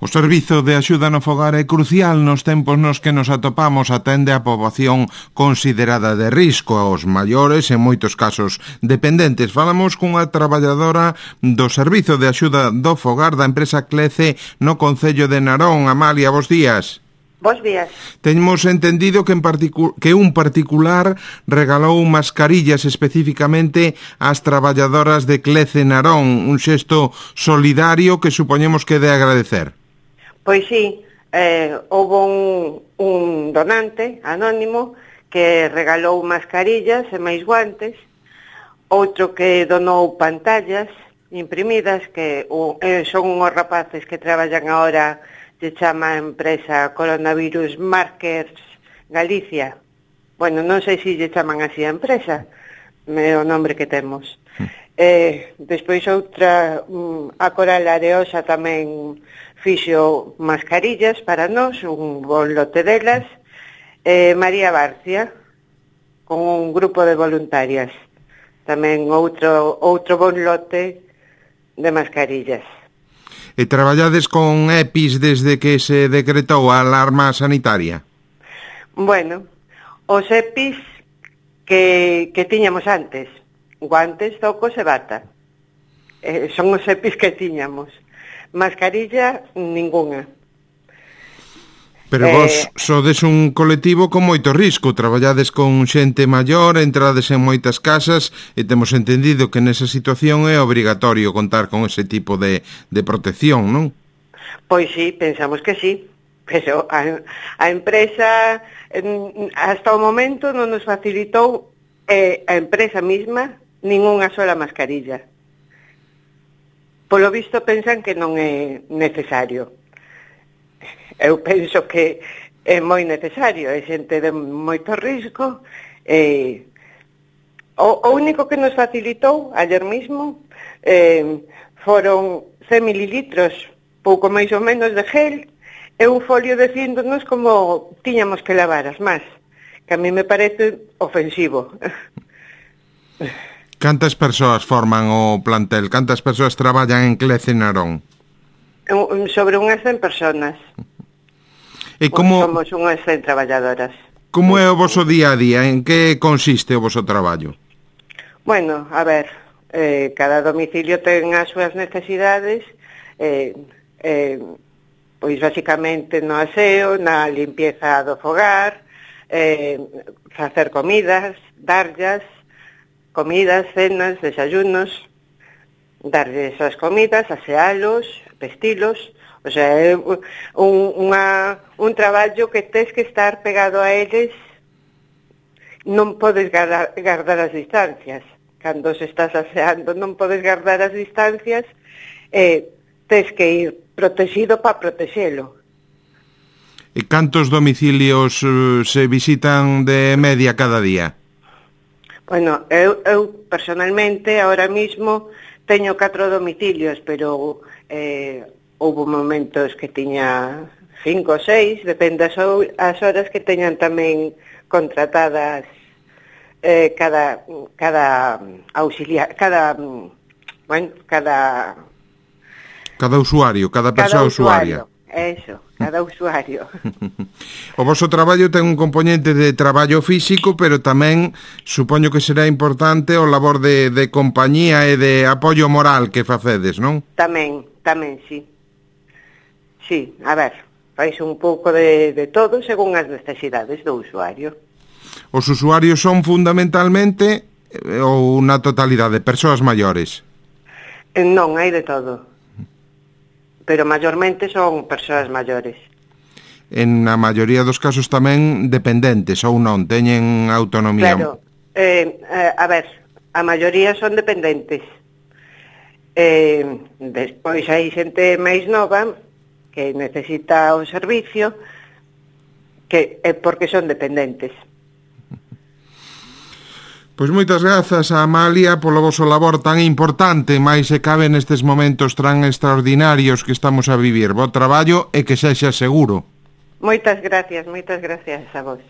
O servizo de axuda no fogar é crucial nos tempos nos que nos atopamos, atende a poboación considerada de risco, aos maiores e en moitos casos dependentes. Falamos cunha traballadora do servizo de axuda do fogar da empresa Clece no concello de Narón. Amalia, bos días. Bos días. Temos entendido que un particular regalou mascarillas especificamente ás traballadoras de Clece Narón, un xesto solidario que supoñemos que de agradecer. Pois sí, houve un donante anónimo que regalou mascarillas e máis guantes, outro que donou pantallas imprimidas que son unhos rapaces que traballan agora, se chama a empresa Coronavirus Markers Galicia. Bueno, non sei se lle chaman así a empresa, é o nombre que temos. Despois outra, a Coral Areosa tamén fixo mascarillas para nós, un bon lote delas. María Barcia, con un grupo de voluntarias, tamén outro bon lote de mascarillas. E traballades con EPIs desde que se decretou a alarma sanitaria? Bueno, os EPIs que tiñamos antes, guantes, zocos e bata. Son os EPIs que tiñamos. Mascarilla, ningunha. Pero vos sodes un colectivo con moito risco, traballades con xente maior, entrades en moitas casas e temos entendido que nesa situación é obrigatorio contar con ese tipo de protección, non? Pois sí, pensamos que sí, pero a empresa hasta o momento non nos facilitou a empresa mesma ningunha sola mascarilla. Polo visto pensan que non é necesario. Eu penso que é moi necesario, é xente de moito risco. O único que nos facilitou ayer mismo foron 100 mililitros, pouco máis ou menos de gel, e un folio dicíndonos como tiñamos que lavar as más, que a mí me parece ofensivo. Cantas persoas forman o plantel? Cantas persoas traballan en Clece Narón? Sobre unhas 100 personas. E como somos unhas 100 traballadoras. Como é o voso día a día? En que consiste o voso traballo? Bueno, a ver, cada domicilio ten as súas necesidades, pois basicamente no aseo, na limpieza do fogar, facer comidas, darllas, cenas, desayunos, darlles as comidas, asealos, vestilos. O sea, é un traballo que tes que estar pegado a eles, non podes guardar as distancias. Cando se estás aseando non podes guardar as distancias, tes que ir protegido para protexelo. E cantos domicilios se visitan de media cada día? Bueno, eu personalmente, ahora mismo, teño 4 domicilios, pero houve momentos que tiña 5 ou 6, depende as horas que teñan tamén contratadas cada auxiliar, cada usuario, cada persoa usuaria. Eso, cada usuario. O voso traballo ten un componente de traballo físico, pero tamén supoño que será importante o labor de compañía e de apoio moral que facedes, non? Tamén, sí. Sí, a ver, fais un pouco de todo según as necesidades do usuario. Os usuarios son fundamentalmente ou na totalidade persoas maiores? Non, hai de todo. Pero maiormente son persoas maiores. En a maioría dos casos tamén dependentes ou non, teñen autonomía. Claro, a ver, a maioría son dependentes. Despois hai xente máis nova que necesita o servicio, que é porque son dependentes. Pois moitas grazas a Amalia polo voso labor tan importante, máis se cabe nestes momentos tan extraordinarios que estamos a vivir. Bo traballo e que sexa seguro. Moitas gracias a vos.